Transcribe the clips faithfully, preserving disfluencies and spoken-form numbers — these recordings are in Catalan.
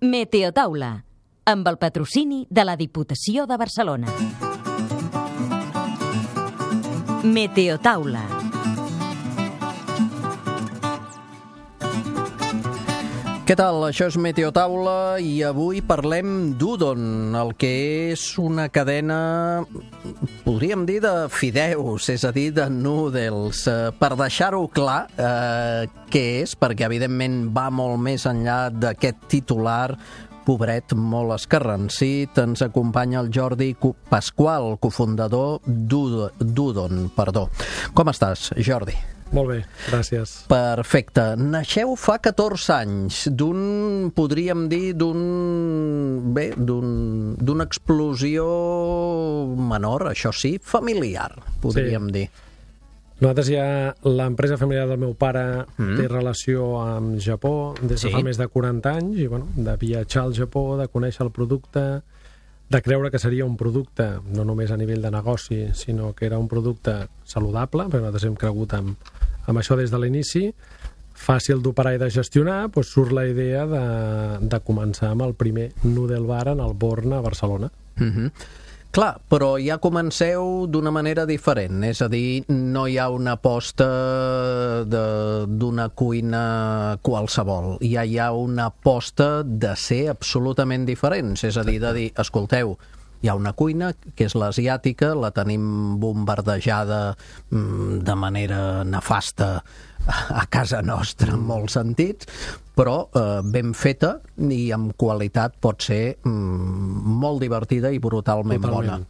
Meteotaula, amb el patrocini de la Diputació de Barcelona. Meteotaula. Què tal? Això és Meteotaula i avui parlem d'Udon, el que és una cadena, podríem dir, de fideus, és a dir, de noodles. Per deixar-ho clar, eh, què és, perquè evidentment va molt més enllà d'aquest titular, pobret, molt escarransit, ens acompanya el Jordi Pasqual, cofundador d'Udon. Perdó. Com estàs, Jordi? Molt bé, gràcies. Perfecte. Naixeu fa catorze anys d'un, podríem dir, d'un... bé, d'un, d'una explosió menor, això sí, familiar, podríem Sí. dir. Nosaltres ja, l'empresa familiar del meu pare Mm. té relació amb Japó des de Sí. fa més de quaranta anys i, bueno, de viatjar al Japó, de conèixer el producte, de creure que seria un producte, no només a nivell de negoci, sinó que era un producte saludable, perquè nosaltres hem cregut amb, amb això des de l'inici, fàcil d'operar i de gestionar, doncs surt la idea de, de començar amb el primer noodle bar en el Born a Barcelona. Mhm. Clar, però ja comenceu d'una manera diferent, és a dir, no hi ha una aposta de- d'una cuina qualsevol, ja hi ha una aposta de ser absolutament diferents, és a dir, de dir, escolteu, hi ha una cuina que és l'asiàtica, la tenim bombardejada mm, de manera nefasta a casa nostra en molts sentits, però eh, ben feta i amb qualitat pot ser mm, molt divertida i brutalment Totalment. bona.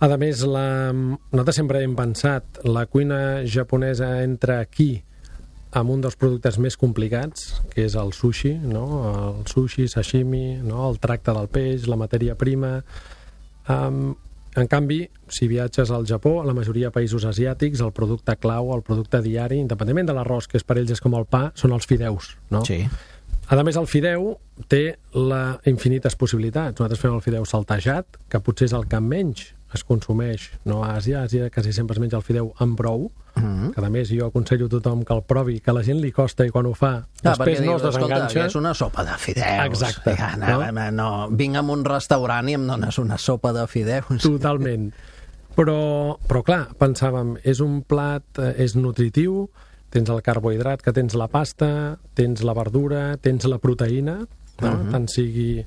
A més, la... nosaltres sempre hem pensat la cuina japonesa entra aquí amb un dels productes més complicats, que és el sushi, no? El sushi, sashimi, no? El tracte del peix, la matèria prima. Um, en canvi, si viatges al Japó, a la majoria de països asiàtics, el producte clau, el producte diari, independentment de l'arròs, que és per ells és com el pa, són els fideus, no? Sí. A més, el fideu té la infinites possibilitats. Nosaltres fem el fideu saltejat, que potser és el que menys es consumeix, no? A Àsia, a Àsia quasi sempre es menja el fideu amb brou, Mm-hmm. que a més jo aconsello a tothom que el provi, que a la gent li costa i quan ho fa, Ah, després perquè no dius, es escolta, desenganxa. que és una sopa de fideus. Exacte, Ja, no, no? no, no, vinc a un restaurant i em dones una sopa de fideus. Totalment. Però, però clar, pensàvem, és un plat, eh, és nutritiu, tens el carbohidrat, que tens la pasta, tens la verdura, tens la proteïna, no? Mhm. Tant sigui,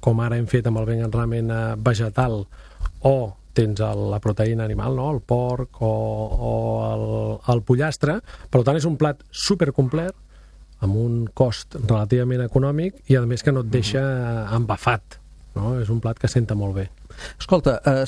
com ara hem fet amb el vegan ramen eh, vegetal, o tens el, la proteïna animal, no? El porc o, o el, el pollastre. Per tant, és un plat supercomplet, amb un cost relativament econòmic i, a més, que no et deixa embafat. No? És un plat que senta molt bé. Escolta, eh,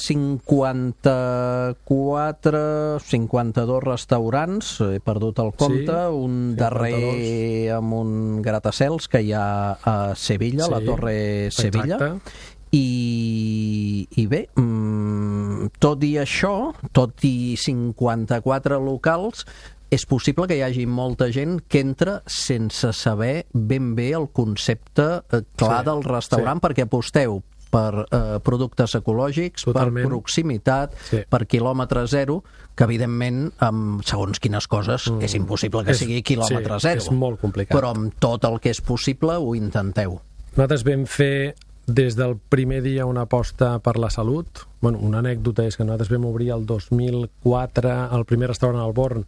cinquanta-quatre, cinquanta-dos restaurants, he perdut el compte, Sí, un cinquanta-dos. darrer amb un gratacels que hi ha a Sevilla, Sí, la Torre Sevilla. Exacte. I, i bé, mm, tot i això, tot i cinquanta-quatre locals, és possible que hi hagi molta gent que entra sense saber ben bé el concepte eh, clar Sí, del restaurant, sí. perquè aposteu per eh, productes ecològics, Totalment. per proximitat, Sí. per quilòmetre zero, que evidentment, amb segons quines coses, Mm. és impossible que És- sigui quilòmetre sí, zero. és molt complicat. Però amb tot el que és possible ho intenteu. Nosaltres vam fer des del primer dia una aposta per la salut. Bueno, una anècdota és que nosaltres vam obrir el dos mil quatre el primer restaurant al Born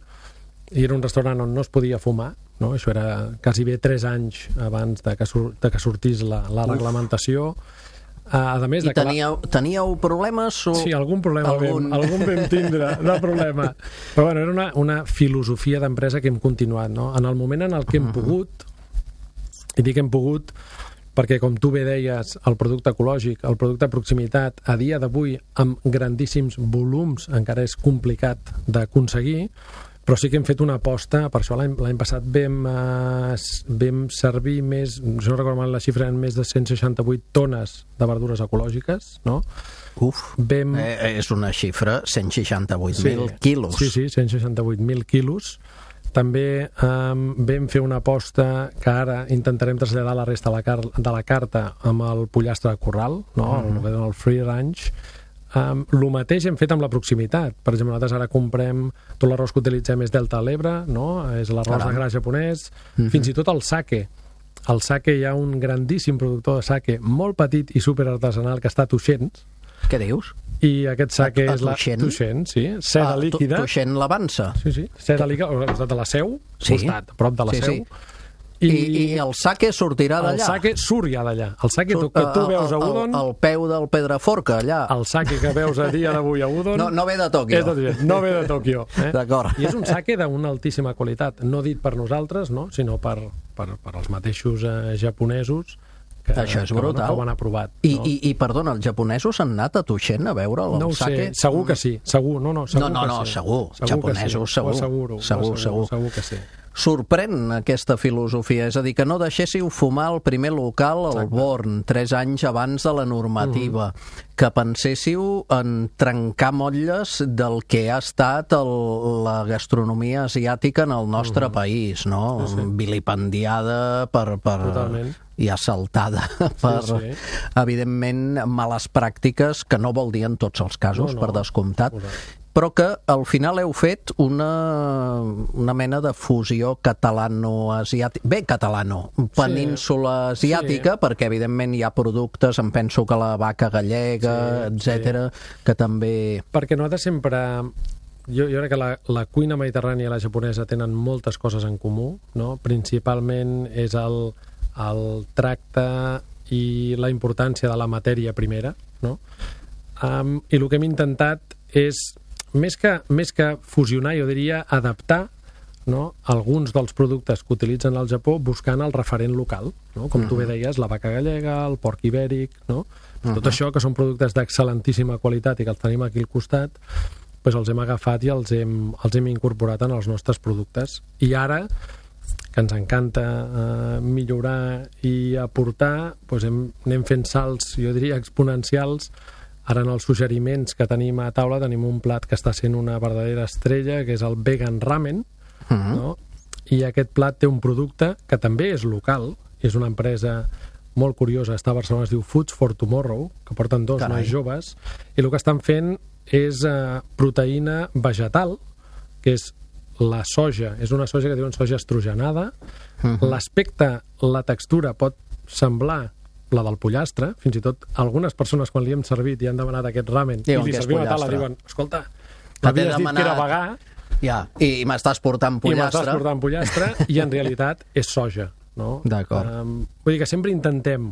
i era un restaurant on no es podia fumar, no? Això era quasi bé tres anys abans de que, sur de que sortís la, la reglamentació. A, a més I de que la- teníeu, teníeu problemes? O... Sí, algun problema Algun- Vam, algun vam tindre, de problema. Però bueno, era una, una filosofia d'empresa que hem continuat, no? En el moment en el que hem pogut, i dic hem pogut perquè, com tu bé deies, el producte ecològic, el producte de proximitat, a dia d'avui, amb grandíssims volums, encara és complicat d'aconseguir, però sí que hem fet una aposta, per això l'any l'any passat vam, eh, vam servir més, si no recordo mal la xifra, eren més de cent seixanta-vuit tones de verdures ecològiques, no? Uf, Vam... eh, és una xifra, cent seixanta-vuit mil Sí. quilos. Sí, sí, cent seixanta-vuit mil quilos. També um, vam fer una aposta que ara intentarem traslladar a la resta de la, car de la carta amb el pollastre de corral, no? Mhm. el, que diuen el free range. Um, el mateix hem fet amb la proximitat. Per exemple, nosaltres ara comprem tot l'arròs que utilitzem és Delta a l'Ebre, no? És l'arròs Caram. de gra japonès, Mhm. fins i tot el sake. el sake, hi ha un grandíssim productor de sake, molt petit i superartesanal, que està a Tuixens. Què dius? I aquest sake A- a és la... Tuixén? Tuixén, sí. Seda Ah, tu- líquida. Tuixén l'Avança. Sí, sí. Seda líquida, al costat de la Seu, Sí. costat, a prop de la Sí, Seu. sí. I, I el sake sortirà el d'allà? sake surt ja d'allà. El sake Surt, que tu eh, veus a el- Udon, El, el peu del Pedraforca, allà. el sake que veus a dia d'avui a Udon... No, no ve de Tòquio. És de Tuixén, no ve de Tòquio. Eh? D'acord. I és un sake d'una altíssima qualitat, no dit per nosaltres, no? sinó per, per, per els mateixos eh, japonesos que, Això és que, bueno, brutal. que ho han aprovat. I, no? i, I, perdona, els japonesos han anat a Tuixén a veure el No ho sake? sé, segur que sí, segur, no, no, segur No, no, que no, sí. segur, que japonesos, sí. segur. Ho asseguro, Segur, ho segur. segur que sí. Sorprèn aquesta filosofia, és a dir, que no deixéssiu fumar el primer local al Exacte. Born, tres anys abans de la normativa, mm. que penséssiu en trencar motlles del que ha estat el, la gastronomia asiàtica en el nostre mm. país, no? Sí, sí. Vilipendiada per... per Totalment. i assaltada per, sí. evidentment, males pràctiques, que no vol dir en tots els casos, No, no. per descomptat, Correcte. però que al final heu fet una, una mena de fusió catalano-asiàtica, bé, catalano, península asiàtica, Sí. perquè evidentment hi ha productes, em penso que la vaca gallega, Sí, etcètera, que també... Perquè nosaltres sempre... Jo, jo crec que la, la cuina mediterrània i la japonesa tenen moltes coses en comú, no? Principalment és el, el tracte i la importància de la matèria primera, no? Um, I el que hem intentat és, més que, més que fusionar, jo diria adaptar, no? alguns dels productes que utilitzen al Japó buscant el referent local, no? Com tu bé deies, la vaca gallega, el porc ibèric, no? Tot uh-huh. això, que són productes d'excel·lentíssima qualitat i que els tenim aquí al costat, doncs els hem agafat i els hem, els hem incorporat en els nostres productes. I ara, que ens encanta eh, millorar i aportar, doncs hem, anem fent salts, jo diria, exponencials. Ara en els suggeriments que tenim a taula tenim un plat que està sent una verdadera estrella, que és el vegan ramen, uh-huh. no? I aquest plat té un producte que també és local, és una empresa molt curiosa, està a Barcelona, es diu Foods for Tomorrow, que porten dos Carai. nois joves, i el que estan fent és eh, proteïna vegetal, que és la soja, és una soja que diuen soja estrogenada. Uh-huh. L'aspecte, la textura pot semblar la del pollastre, fins i tot algunes persones quan li hem servit i han demanat aquest ramen Diuen i li que és servim a taula pollastre. diuen, escolta, t'he m'havies dit demanat- que era vegà Ja, i m'estàs portant i m'estàs pollastre. portant pollastre i en realitat és soja, no? D'acord. Um, vull dir que sempre intentem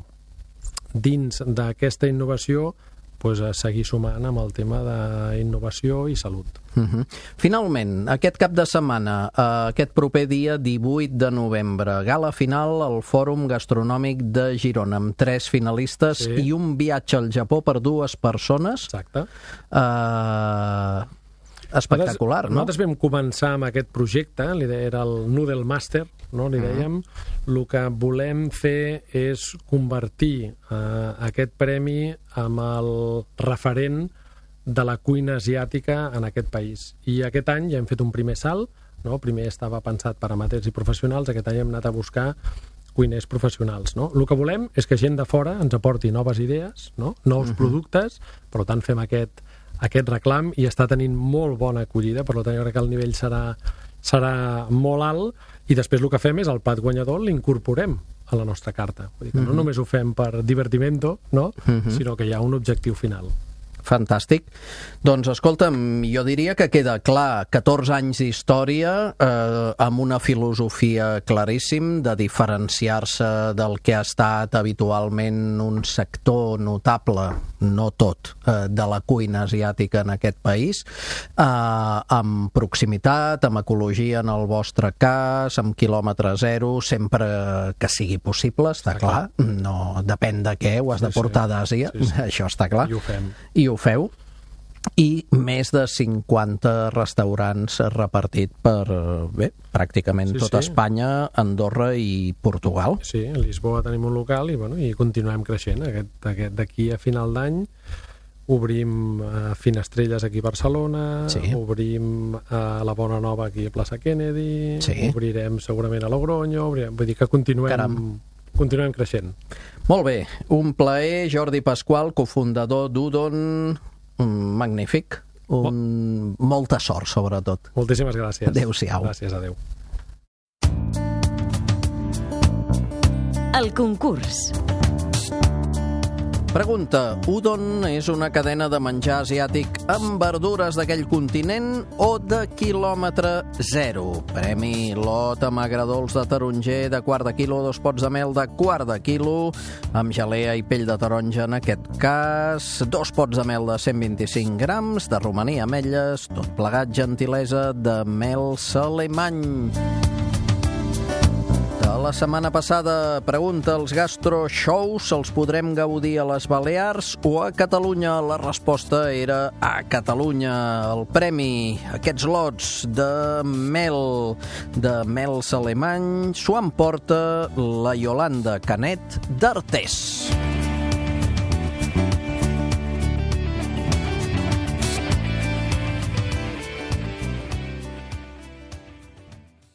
dins d'aquesta innovació pues, a seguir sumant amb el tema d'innovació i salut. Uh-huh. Finalment, aquest cap de setmana, eh, aquest proper dia divuit de novembre, gala final al Fòrum Gastronòmic de Girona, amb tres finalistes Sí. i un viatge al Japó per dues persones. Exacte. Eh, espectacular, no? Nosaltres vam començar amb aquest projecte, l'idea era el Noodle Master, no? Li dèiem. El que volem fer és convertir eh, aquest premi amb el referent de la cuina asiàtica en aquest país. I aquest any ja hem fet un primer salt, no? Primer estava pensat per amateurs i professionals, aquest any hem anat a buscar cuiners professionals, no? El que volem és que gent de fora ens aporti noves idees, no? Nous uh-huh. productes, per tant fem aquest, aquest reclam i està tenint molt bona acollida, per tant jo crec que el nivell serà, serà molt alt i després el que fem és el plat guanyador l'incorporem a la nostra carta. Vull dir que uh-huh. no només ho fem per divertimento, no? Uh-huh. sinó que hi ha un objectiu final. Fantàstic. Doncs, escolta'm, jo diria que queda clar catorze anys d'història eh, amb una filosofia claríssim de diferenciar-se del que ha estat habitualment un sector notable, no tot, eh, de la cuina asiàtica en aquest país, eh, amb proximitat, amb ecologia en el vostre cas, amb quilòmetre zero, sempre que sigui possible, està clar. No depèn de què, ho has Sí, de portar sí. d'Àsia, Sí, sí. això està clar. I ho fem. I ho feu, i més de cinquanta restaurants repartit per, bé, pràcticament Sí, tota sí. Espanya, Andorra i Portugal. Sí, a Lisboa tenim un local i, bueno, i continuem creixent. Aquest, aquest, d'aquí a final d'any obrim eh, Finestrelles aquí a Barcelona, Sí. obrim eh, la Bona Nova aquí a Plaça Kennedy, Sí. obrirem segurament a Logroño, obrirem, vull dir que continuem, Caram. continuem creixent. Molt bé, un plaer, Jordi Pasqual, cofundador d'Udon, magnífic, un... molta sort, sobretot. Moltíssimes gràcies. Adéu-siau. Gràcies, adéu. El concurs. Pregunta: Udon és una cadena de menjar asiàtic amb verdures d'aquell continent o de quilòmetre zero? Premi lot amb agredolç de taronger de quart de quilo, dos pots de mel de quart de quilo, amb gelea i pell de taronja en aquest cas, dos pots de mel de cent vint-i-cinc grams, de romaní ametlles, tot plegat gentilesa de mel Salemany. La setmana passada, pregunta: els gastroshows se'ls podrem gaudir a les Balears o a Catalunya? La resposta era a Catalunya. El premi, aquests lots de mel, de mel Salemany, s'ho emporta la Iolanda Canet d'Artés.